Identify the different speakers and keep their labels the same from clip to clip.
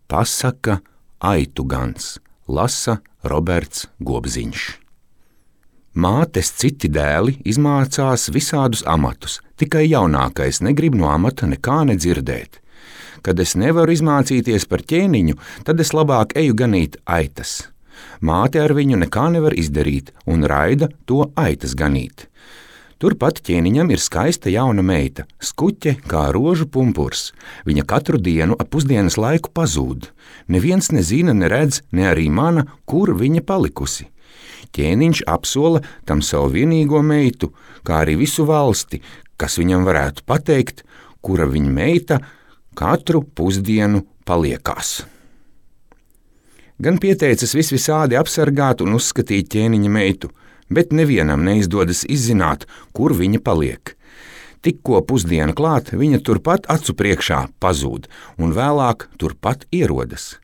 Speaker 1: Pasaka aitu gans, lasa Roberts Gobziņš. Mātes citi dēli izmācās visādus amatus, tikai jaunākais negrib no amata nekā nedzirdēt. Kad es nevaru izmācīties par ķēniņu, tad es labāk eju ganīt aitas. Māte ar viņu nekā nevar izdarīt un raida to aitas ganīt. Turpat ķēniņam ir skaista jauna meita, skuķe kā rožu pumpurs. Viņa katru dienu ap pusdienas laiku pazūd. Neviens nezina, neredz, ne arī mana, kur viņa palikusi. Ķēniņš apsola tam savu vienīgo meitu, kā arī visu valsti, kas viņam varētu pateikt, kura viņa meita katru pusdienu paliekās. Gan pieteicis visvisādi apsargāt un uzskatīt ķēniņa meitu, bet nevienam neizdodas izzināt, kur viņa paliek. Tikko pusdiena klāt, viņa turpat acu priekšā pazūd un vēlāk turpat ierodas.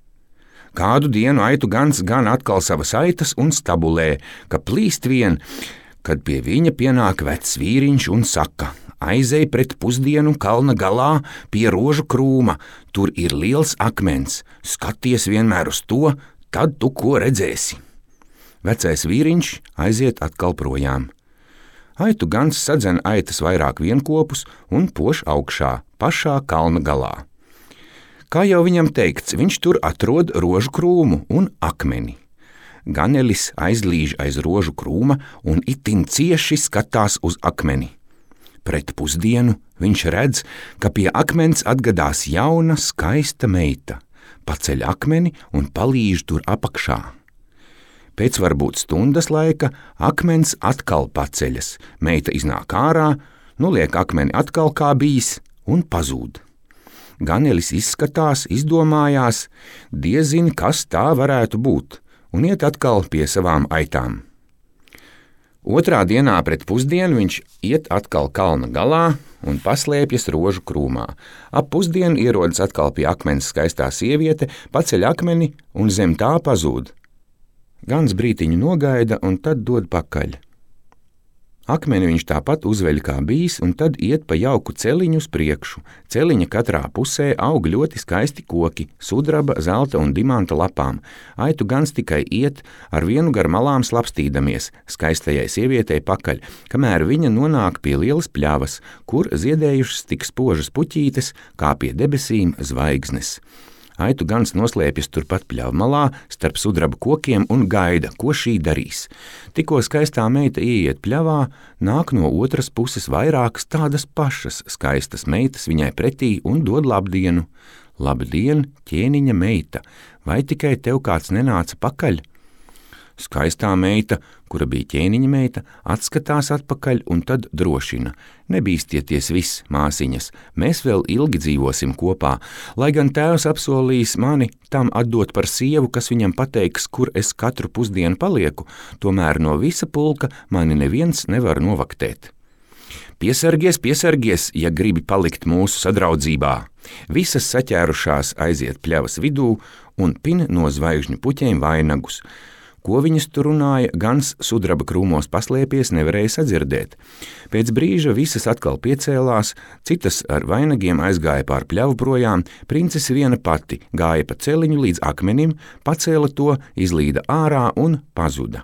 Speaker 1: Kādu dienu aitu gans gan atkal savas aitas un stabulē, ka plīst vien, kad pie viņa pienāk vecs vīriņš un saka: aizej pret pusdienu kalna galā pie rožu krūma, tur ir liels akmens, skaties vienmēr uz to, tad tu ko redzēsi. Vecais vīriņš aiziet atkal projām. Aitu gans sadzen aitas vairāk vienkopus un poš augšā, pašā kalna galā. Kā jau viņam teikts, viņš tur atrod rožu krūmu un akmeni. Ganelis aizlīž aiz rožu krūma un itin cieši skatās uz akmeni. Pret pusdienu viņš redz, ka pie akmens atgadās jauna, skaista meita, paceļ akmeni un palīž tur apakšā. Pēc varbūt stundas laika akmens atkal paceļas, meita iznāk ārā, liek akmeni atkal kā bijis un pazūd. Ganelis izskatās, izdomājās, diezin, kas tā varētu būt, un iet atkal pie savām aitām. Otrā dienā pret pusdienu viņš iet atkal kalna galā un paslēpjas rožu krūmā. Ap pusdienu ierodas atkal pie akmens skaistā sieviete, paceļ akmeni un zem tā pazūd. Gans brītiņu nogaida un tad dod pakaļ. Akmeni viņš tāpat uzveļ kā bijis un tad iet pa jauku celiņu uz priekšu. Celiņa katrā pusē aug ļoti skaisti koki, sudraba, zelta un dimanta lapām. Aitu gans tikai iet ar vienu gar malām slapstīdamies skaistajai sievietei pakaļ, kamēr viņa nonāk pie lielas pļavas, kur ziedējušas tik spožas puķītes, kā pie debesīm zvaigznes. Aitu gans noslēpjas turpat pļavmalā starp sudraba kokiem un gaida, ko šī darīs. Tikko skaistā meita ieiet pļavā, nāk no otras puses vairākas tādas pašas skaistas meitas viņai pretī un dod labdienu. Labdien, ķēniņa meita, vai tikai tev kāds nenāca pakaļ? Skaistā meita, kura bija ķēniņa meita, atskatās atpakaļ un tad drošina. Nebīstieties viss, māsiņas, mēs vēl ilgi dzīvosim kopā, lai gan tēvs apsolījis mani tam atdot par sievu, kas viņam pateiks, kur es katru pusdienu palieku, tomēr no visa pulka mani neviens nevar novaktēt. Piesargies, piesargies, ja gribi palikt mūsu sadraudzībā. Visas saķērušās aiziet pļavas vidū un pin no zvaigžņu puķiem vainagus. Ko viņas tur runāja, gans sudraba krūmos paslēpies nevarēja sadzirdēt. Pēc brīža visas atkal piecēlās, citas ar vainagiem aizgāja pār pļavu projām, princese viena pati gāja pa celiņu līdz akmenim, pacēla to, izlīda ārā un pazuda.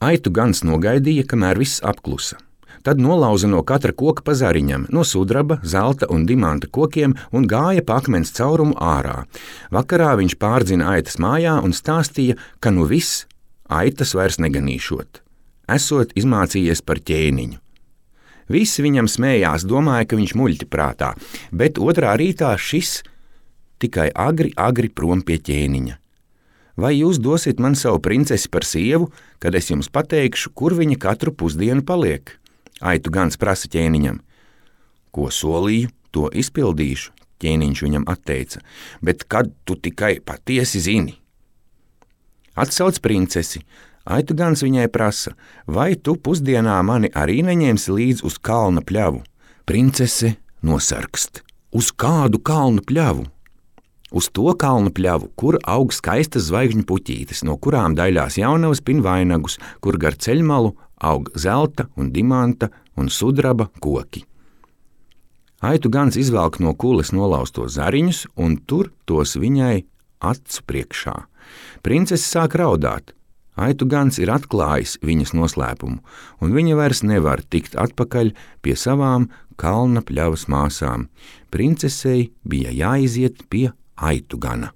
Speaker 1: Aitu gans nogaidīja, kamēr viss apklusa. Tad nolauza no katra koka pa zariņam, no sudraba, zelta un dimanta kokiem un gāja pa akmens caurumu ārā. Vakarā viņš pārdzina aitas mājā un stāstīja, ka nu viss aitas vairs neganīšot. Esot izmācījies par ķēniņu. Visi viņam smējās, domāja, ka viņš muļķi prātā, bet otrā rītā šis tikai agri prom pie ķēniņa. Vai jūs dosiet man savu princesi par sievu, kad es jums pateikšu, kur viņa katru pusdienu paliek? Aitu gans prasa ķēniņam. Ko solīju, to izpildīšu, ķēniņš viņam atteica, bet kad tu tikai patiesi zini? Atsauc princesi. Aitu gans viņai prasa, vai tu pusdienā mani arī neņemsi līdz uz kalna pļavu? Princese nosarkst. Uz kādu kalnu pļavu? Uz to kalnu pļavu, kur aug skaistas zvaigžņu puķītes, no kurām daļās jaunavas pin vainagus, kur gar ceļmalu aug zelta un dimanta un sudraba koki. Aitu gans izvelk no kules nolaustos zariņus un tur tos viņai acu priekšā. Princese sāk raudāt. Aitu gans ir atklājis viņas noslēpumu, un viņa vairs nevar tikt atpakaļ pie savām kalna pļavas māsām. Princesei bija jāiziet pie aitu gana.